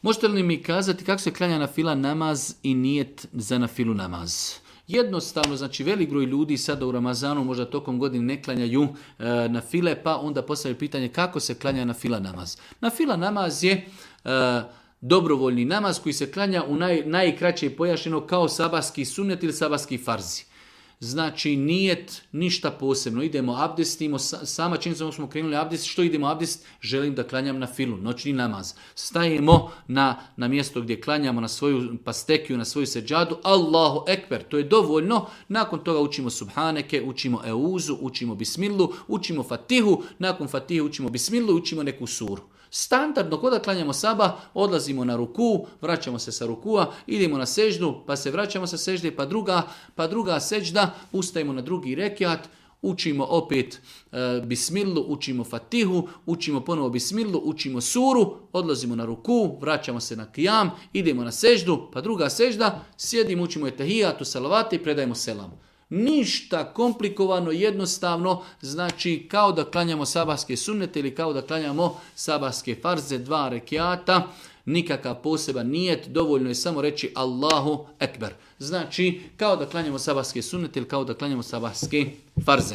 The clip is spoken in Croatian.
Možete li mi kazati kako se klanja na fila namaz i nijet za na filu namaz? Jednostavno, znači velik broj ljudi sada u Ramazanu možda tokom godine ne klanjaju na file, pa onda postavljaju pitanje kako se klanja na fila namaz. Na fila namaz je dobrovoljni namaz koji se klanja u najkraće pojašnjeno kao sabahski sunnet ili sabahski farzi. Znači nijet ništa posebno. Idemo abdestimo, sama činjenica smo krenuli abdest, što idemo abdest? Želim da klanjam na filu, noćni namaz. Stajemo na mjesto gdje klanjamo na svoju pastekiju, na svoju seđadu, Allahu ekber, to je dovoljno. Nakon toga učimo subhaneke, učimo euzu, učimo bismilu, učimo fatihu, nakon fatihe učimo bismilu i učimo neku suru. Standardno, kada klanjamo sabah, odlazimo na ruku, vraćamo se sa rukua, idemo na seždu, pa se vraćamo sa sežde, pa druga sežda, ustajemo na drugi rekiat, učimo opet bismilu, učimo fatihu, učimo ponovo bismilu, učimo suru, odlazimo na ruku, vraćamo se na kijam, idemo na seždu, pa druga sežda, sjedimo, učimo etahijatu, salavate i predajemo selam. Ništa komplikovano, jednostavno, znači kao da klanjamo sabahske sunnete ili kao da klanjamo sabahske farze, 2 rekiata, nikakav poseban nijet, dovoljno je samo reći Allahu ekber. Znači kao da klanjamo sabahske sunnete ili kao da klanjamo sabahske farze.